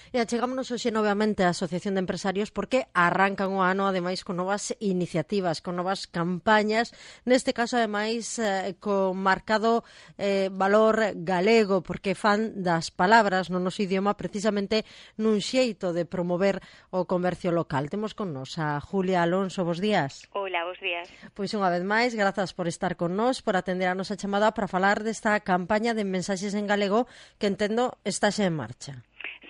E achegámonos hoxe novamente á Asociación de Empresarios porque arrancan o ano, ademais, con novas iniciativas, con novas campañas, neste caso, ademais, con marcado valor galego, porque fan das palabras no noso idioma precisamente nun xeito de promover o comercio local. Temos con nos a Julia Alonso, bos días. Hola, bos días. Pois unha vez máis, grazas por estar con nos, por atender a nosa chamada para falar desta campaña de mensaxes en galego que entendo está xa en marcha.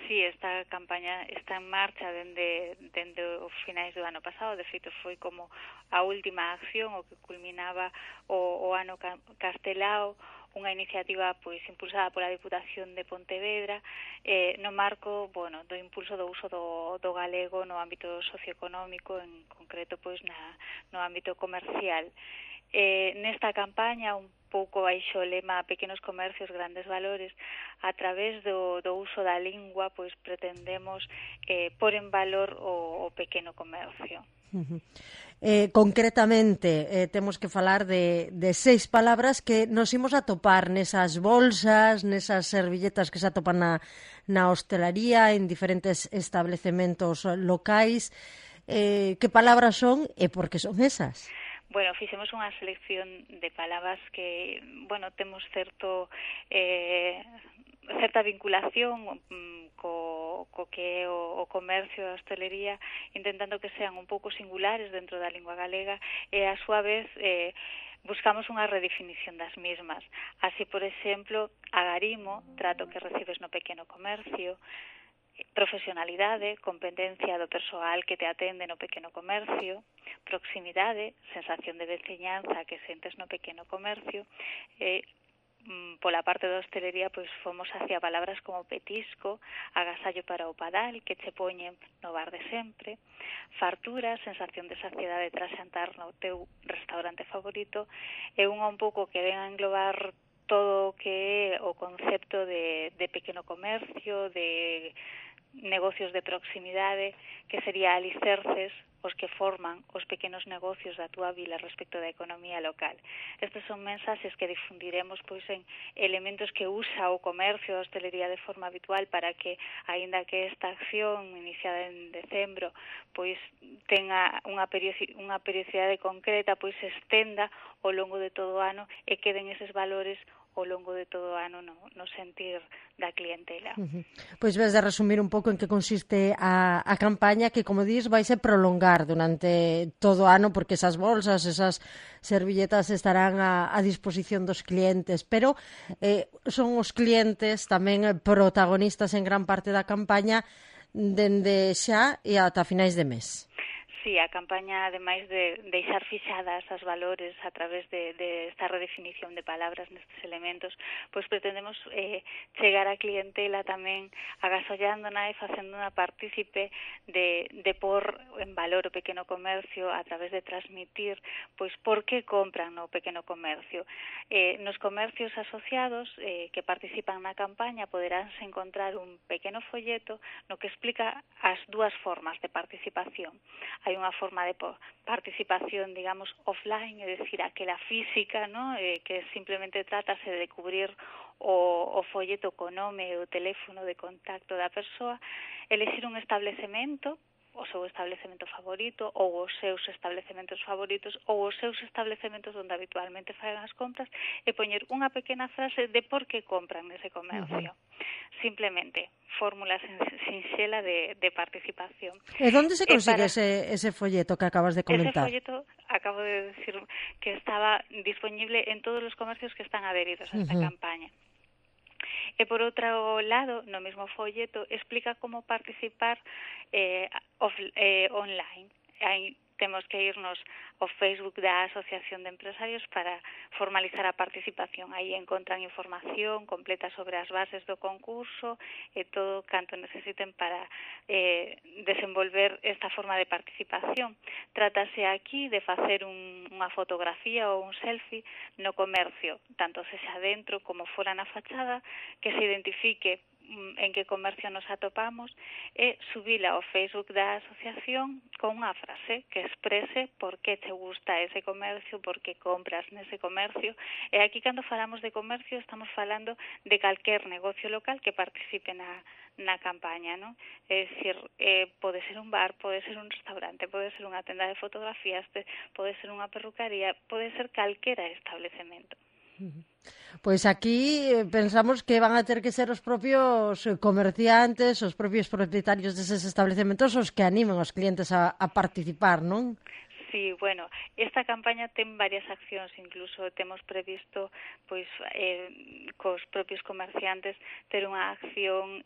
Sí, esta campaña está en marcha dende os finais do ano pasado. De feito, foi como a última acción o que culminaba o ano castelao, unha iniciativa pois impulsada pola Diputación de Pontevedra no marco, do impulso do uso do galego no ámbito socioeconómico, en concreto pois no ámbito comercial. Nesta campaña, un pouco baixo o lema Pequenos comercios, grandes valores, a través do uso da lingua, pois pretendemos pôr en valor o pequeno comercio. Concretamente, temos que falar de 6 palabras que nos imos a topar nesas bolsas, nesas servilletas que se atopan na hostelaría, en diferentes establecementos locais. Que palabras son e por que son esas? Bueno, fixemos unha selección de palabras que, temos certa vinculación co que é o comercio e a hostelería, intentando que sean un pouco singulares dentro da lingua galega e, a súa vez, buscamos unha redefinición das mismas. Así, por exemplo, agarimo, trato que recibes no pequeno comercio; profesionalidade, competencia do persoal que te atende no pequeno comercio; proximidade, sensación de veciñanza que sentes no pequeno comercio; pola parte da hostelería, pois fomos hacia palabras como petisco, agasallo para o padal, que che poñen no bar de sempre; fartura, sensación de saciedade tras xantar no teu restaurante favorito; e unha un pouco que ven a englobar todo o que é o concepto de pequeno comercio, de negocios de proximidade, que sería alicerces os que forman os pequenos negocios da túa vila respecto da economía local. Estes son mensaxes que difundiremos pois en elementos que usa o comercio a hostelería de forma habitual para que, aínda que esta acción iniciada en decembro pois tenga unha periodicidade concreta, pois se estenda ao longo de todo o ano e queden eses valores ao longo de todo o ano no sentir da clientela. Pois ves de resumir un pouco en que consiste a campaña que, como dís, vai se prolongar durante todo o ano porque esas bolsas, esas servilletas estarán a disposición dos clientes, pero son os clientes tamén protagonistas en gran parte da campaña dende xa e ata finais de mes. Sí, a campaña, ademais de deixar fixadas as valores a través de esta redefinición de palabras nestes elementos, pois pretendemos chegar á clientela tamén agasallándona e facéndona partícipe de pôr en valor o pequeno comercio a través de transmitir pois por que compran no pequeno comercio. Nos comercios asociados que participan na campaña poderánse encontrar un pequeno folleto no que explica as dúas formas de participación. Hai unha forma de participación, digamos, offline, é dicir, aquela física, ¿no? Que simplemente trátase de cubrir o folleto co nome e o teléfono de contacto da persoa, elixir un establecemento, o seu establecemento favorito ou os seus establecementos favoritos ou os seus estabelecementos onde habitualmente fagan as compras e poñer unha pequena frase de por que compran nese comercio. Simplemente, fórmula sinxela de participación. E onde se consigue ese folleto que acabas de comentar? Ese folleto, acabo de decir que estaba disponible en todos os comercios que están adheridos a esta campaña. E por outro lado, no mesmo folleto, explica como participar online. Aí temos que irnos ao Facebook da Asociación de Empresarios para formalizar a participación. Aí encontran información completa sobre as bases do concurso e todo canto necesiten para desenvolver esta forma de participación. Trátase aquí de facer unha fotografía ou un selfie no comercio, tanto sexa dentro como fora na fachada, que se identifique en que comercio nos atopamos e subila ao Facebook da asociación con unha frase que exprese por que te gusta ese comercio, por que compras nese comercio. E aquí, cando falamos de comercio, estamos falando de calquer negocio local que participe na na campaña, non? É dicir, pode ser un bar, pode ser un restaurante, pode ser unha tenda de fotografías, pode ser unha perrucaría, pode ser calquera establecemento. Pois aquí pensamos que van a ter que ser os propios comerciantes, os propios propietarios deses establecementos os que animen os clientes a participar, non? Sí, bueno, esta campaña ten varias accións, incluso temos previsto pois cos propios comerciantes ter unha acción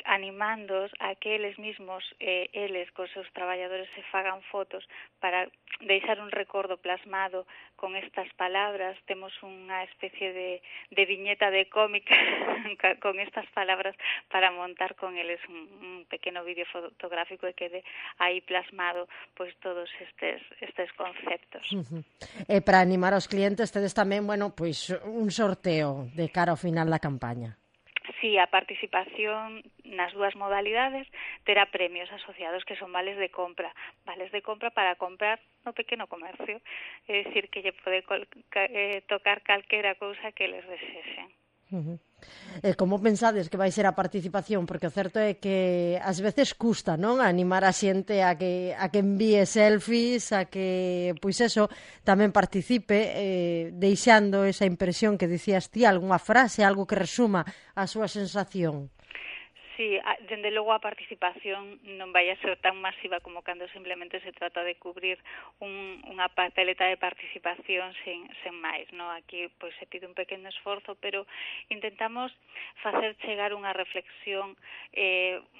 animándoos a que eles mesmos, eles cos seus traballadores se fagan fotos para deixar un recordo plasmado con estas palabras. Temos unha especie de viñeta de cómica con estas palabras para montar con eles un pequeno vídeo fotográfico e quede aí plasmado pois todos estes conceptos. E para animar aos clientes tedes tamén, bueno, pois un sorteo de cara ao final da campaña. Sí, a participación nas dúas modalidades terá premios asociados que son vales de compra para comprar no pequeno comercio, é dicir, que lle pode tocar calquera cousa que les desexen. Como pensades que vai ser a participación? Porque o certo é que ás veces custa, non? Animar a xente a que envíe selfies, a que, pois eso, tamén participe, deixando esa impresión que dicías ti, algunha frase, algo que resuma a súa sensación. Sí, dende logo a participación non vai a ser tan masiva como cando simplemente se trata de cubrir unha papeleta de participación sen máis, no? Aquí pois se pide un pequeno esforzo, pero intentamos facer chegar unha reflexión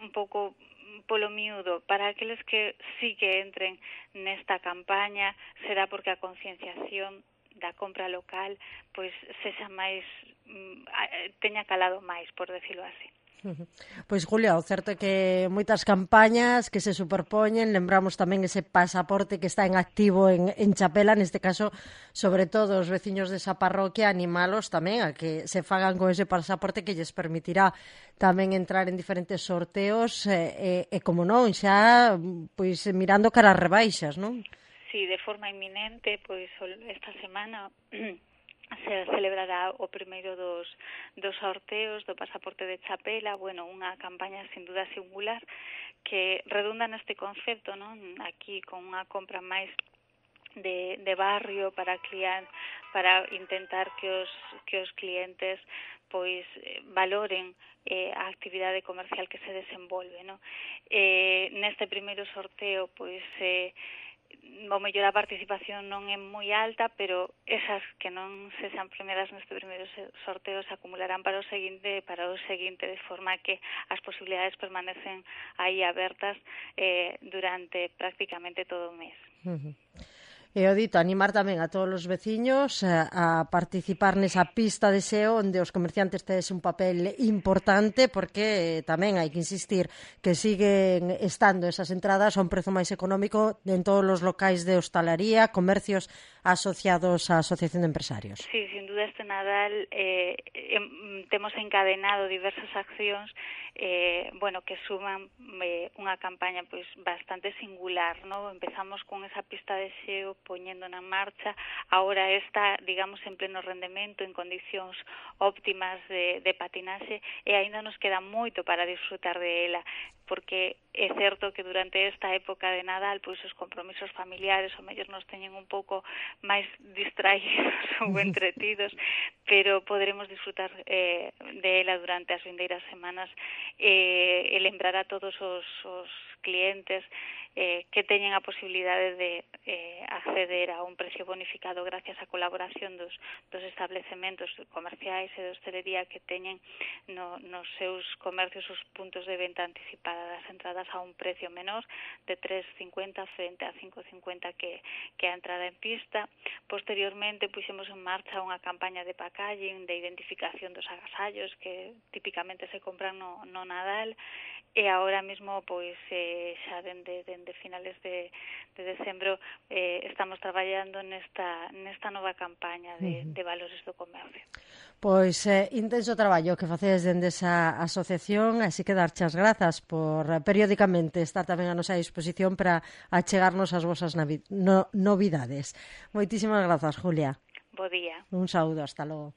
un pouco polo miúdo para aqueles que sí que entren nesta campaña. Será porque a concienciación da compra local pois sexa máis teña calado máis, por decirlo así. Pois, Julia, o certo é que moitas campañas que se superpoñen, lembramos tamén ese pasaporte que está en activo en Chapela, neste caso, sobre todo os veciños desa parroquia, animalos tamén a que se fagan con ese pasaporte que lles permitirá tamén entrar en diferentes sorteos e como non, xa pois mirando cara as rebaixas, non? Sí, de forma inminente, pois esta semana se celebrará o primeiro dos sorteos do pasaporte de Chapela, bueno, unha campaña sin duda singular que redunda neste concepto, non? Aquí con unha compra máis de barrio para intentar que os clientes pois valoren a actividade comercial que se desenvolve, non? Neste primeiro sorteo pois o mellor a participación non é moi alta, pero esas que non se sean premiadas neste primeiro sorteo se acumularán para o seguinte, de forma que as posibilidades permanecen aí abertas durante prácticamente todo o mes. E o dito, animar tamén a todos os veciños a participar nesa pista de SEO onde os comerciantes tedes un papel importante, porque tamén hai que insistir que siguen estando esas entradas a un prezo máis económico en todos os locais de hostalaría, comercios asociados á Asociación de Empresarios. Sí, sin duda este Nadal temos encadenado diversas accións bueno, que suman unha campaña pois bastante singular, ¿no? Empezamos con esa pista de SEO poñendo na marcha, agora está, digamos, en pleno rendemento, en condicións óptimas de patinaxe, e aínda nos queda moito para disfrutar de ela, porque é certo que durante esta época de Nadal, pois os compromisos familiares o mellor nos teñen un pouco máis distraídos ou entretidos, pero poderemos disfrutar de ela durante as vindeiras semanas e lembrar a todos os clientes que teñen a posibilidade de acceder a un precio bonificado gracias á colaboración dos establecementos comerciais e de hostelería que teñen nos seus comercios os puntos de venta anticipada das entradas a un precio menor de 3,50 frente a 5,50 que a entrada en pista. Posteriormente puxemos en marcha unha campaña de packaging, de identificación dos agasallos que típicamente se compran no Nadal, e agora mesmo pois xa dende finales de decembro estamos traballando nesta nova campaña de valores do comercio. Pois intenso traballo que facedes dende esa asociación, así que darche as grazas por periódicamente estar tamén a nosa disposición para achegarnos as vosas novidades. Moitísimas grazas, Julia. Bo día. Un saúdo, hasta logo.